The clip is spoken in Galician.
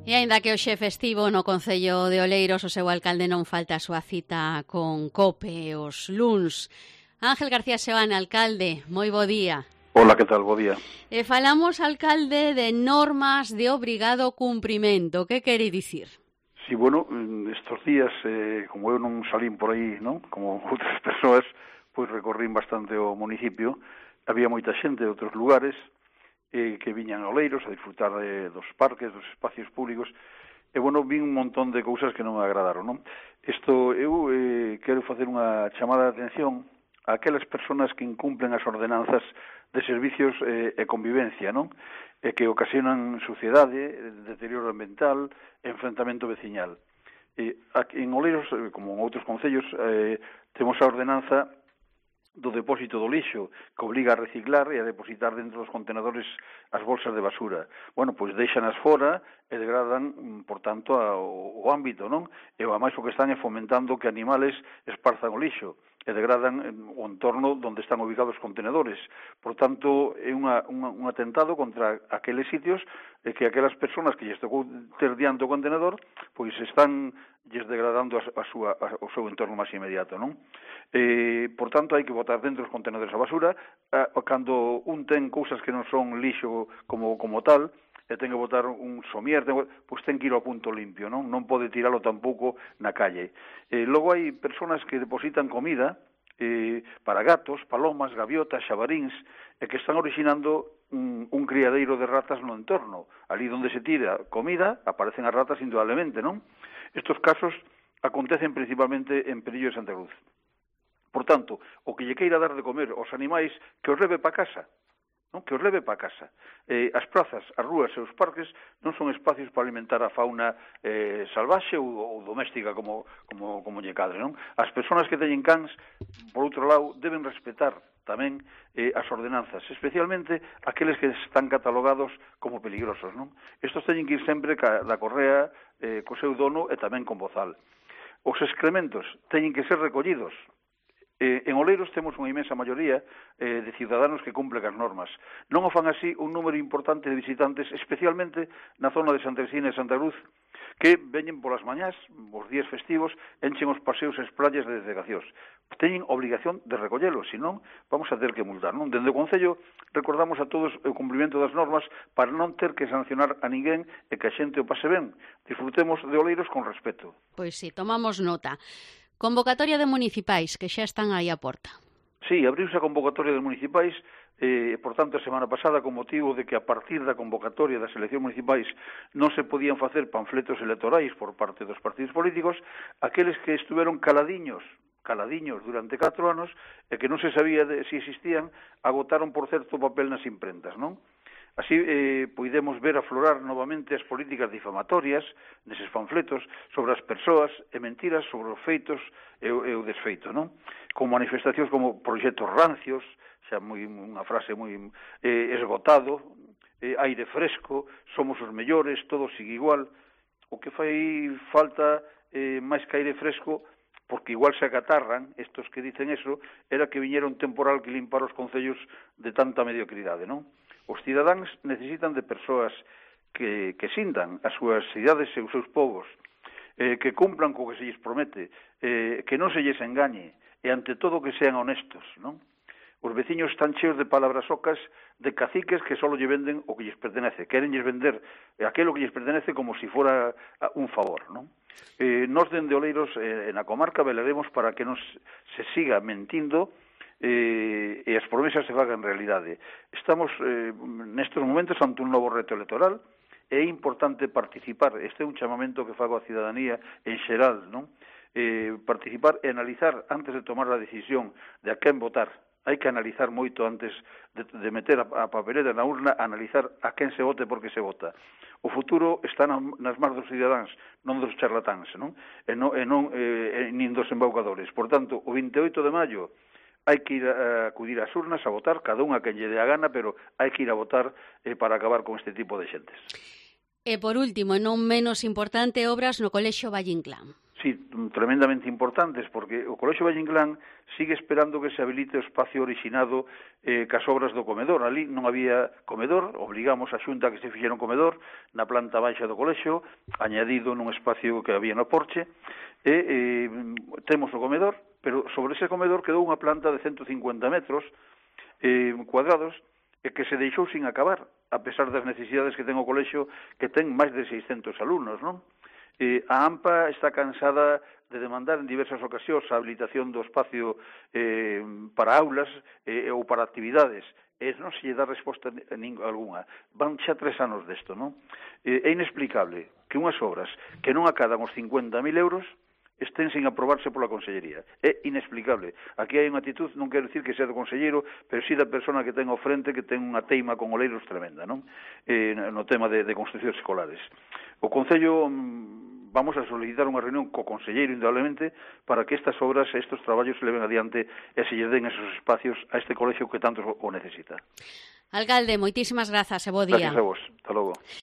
E aínda que hoxe é festivo no Concello de Oleiros, o seu alcalde non falta a súa cita con COPE os luns. Ángel García Seoane, alcalde, moi bo día. Hola, que tal? Bo día. Falamos, alcalde, de normas de obrigado cumprimento. Que quere dicir? Sí, bueno, estos días, como eu non salín por aí, non? Como outras persoas, pois recorrín bastante o municipio. Había moita xente de outros lugares que viñan a Oleiros a disfrutar dos parques, dos espacios públicos. E, bueno, vin un montón de cousas que non me agradaron, non? Eu quero facer unha chamada de atención a aquelas persoas que incumplen as ordenanzas de servicios e convivencia, non? E que ocasionan suciedade, deterioro ambiental, enfrentamento veciñal. Aquí en Oleiros, como en outros concellos, temos a ordenanza do depósito do lixo, que obriga a reciclar e a depositar dentro dos contenedores as bolsas de basura. Bueno, pois deixanas fora e degradan, por tanto, o ámbito, non? E a máis o que están é fomentando que animales esparzan o lixo e degradan o entorno onde están ubicados os contenedores. Por tanto, é un atentado contra aqueles sitios que aquelas persoas que lles tocou ter diante o contenedor, pois están lles degradando o seu entorno máis inmediato, non? Por tanto, hai que botar dentro os contenedores a basura. Cando un ten cousas que non son lixo como tal, e ten que botar un somier, pois ten que ir ao punto limpio, non? Non pode tiralo tampouco na calle. Logo hai persoas que depositan comida para gatos, palomas, gaviotas, xabaríns, e que están originando un criadeiro de ratas no entorno. Ali onde se tira comida, aparecen as ratas indudablemente, non? Estos casos acontecen principalmente en Perillo de Santa Cruz. Por tanto, o que lle queira dar de comer aos animais, que os leve para casa, non? Que os leve para casa. As prazas, as rúas e os parques non son espacios para alimentar a fauna salvaxe ou doméstica, como lle cadre, non? As persoas que teñen cans, por outro lado, deben respetar tamén as ordenanzas, especialmente aqueles que están catalogados como peligrosos, non? Estos teñen que ir sempre da correa co seu dono e tamén con bozal. Os excrementos teñen que ser recollidos. En Oleiros temos unha inmensa maioría de ciudadanos que cumplen as normas. Non o fan así un número importante de visitantes, especialmente na zona de Santa Cristina e Santa Cruz, que veñen polas mañás, os días festivos, enchen os paseos e as playas de desecacións. Teñen obligación de recollelo, senón vamos a ter que multar, non? Dende o Concello recordamos a todos o cumprimento das normas para non ter que sancionar a ninguén e que a xente o pase ben. Disfrutemos de Oleiros con respeto. Pois sí, tomamos nota. Convocatoria de municipais, que xa están aí á porta. Sí, abriuse a convocatoria de municipais, por tanto, a semana pasada, con motivo de que a partir da convocatoria das eleccións municipais non se podían facer panfletos electorais por parte dos partidos políticos, aqueles que estuveron caladiños durante 4 anos e que non se sabía se existían, agotaron, por certo, papel nas imprentas, non? Así podemos ver aflorar novamente as políticas difamatorias neses panfletos sobre as persoas e mentiras sobre os feitos e o desfeito, non? Con manifestacións como proxectos rancios, xa unha frase moi esgotado, aire fresco, somos os mellores, todo sigue igual. O que fai falta máis que aire fresco, porque igual se acatarran estos que dicen eso, era que viñera un temporal que limpara os concellos de tanta mediocridade, non? Os cidadáns necesitan de persoas que sintan as súas cidades e os seus povos, que cumplan co que se lles promete, que non se lles engañe, e ante todo que sean honestos, non? Os veciños están cheos de palabras ocas de caciques que só lle venden o que lles pertenece, querenlles vender aquilo que lles pertenece como se fora un favor, non? Nos dende Oleiros, na comarca, velaremos para que non se siga mentindo e as promesas se fagan realidade. Estamos nestes momentos ante un novo reto electoral. É importante participar. Este é un chamamento que fago á cidadanía en xeral, non? Participar e analizar antes de tomar a decisión de a quen votar. Hai que analizar moito antes de meter a papeleta na urna, analizar a quen se vote e por que se vota. O futuro está nas mans dos cidadáns, non dos charlatáns, non? Nin dos embaucadores. Por tanto, o 28 de maio hai que ir a acudir ás urnas a votar, cada unha que lle dé a gana, pero hai que ir a votar para acabar con este tipo de xentes. E por último, non menos importante, obras no Colexio Valle Inclán. Sí, tremendamente importantes, porque o Colexio Valle Inclán sigue esperando que se habilite o espacio orixinado cas obras do comedor. Ali non había comedor, obligamos a Xunta que se fixera un comedor na planta baixa do colexio, añadido nun espacio que había no porche, e temos o comedor, pero sobre ese comedor quedou unha planta de 150 metros cuadrados e que se deixou sin acabar, a pesar das necesidades que ten o colexio, que ten máis de 600 alumnos, non? A AMPA está cansada de demandar en diversas ocasións a habilitación do espacio para aulas ou para actividades, e non se lle dá resposta algunha. Van xa 3 anos desto, non? É inexplicable que unhas obras que non acadan os 50.000 euros estén sin aprobarse pola Consellería. É inexplicable. Aquí hai unha actitud, non quero dicir que sea do conselleiro, pero sí da persona que ten ao frente, que ten unha teima con oleiros tremenda, non? No tema de construccións escolares. O Concello vamos a solicitar unha reunión co conselleiro, indudablemente, para que estas obras, estes traballos se leven adiante e se lle den esos espacios a este colexio que tanto o necesita. Alcalde, moitísimas grazas e bo día. Gracias a vos. Hasta logo.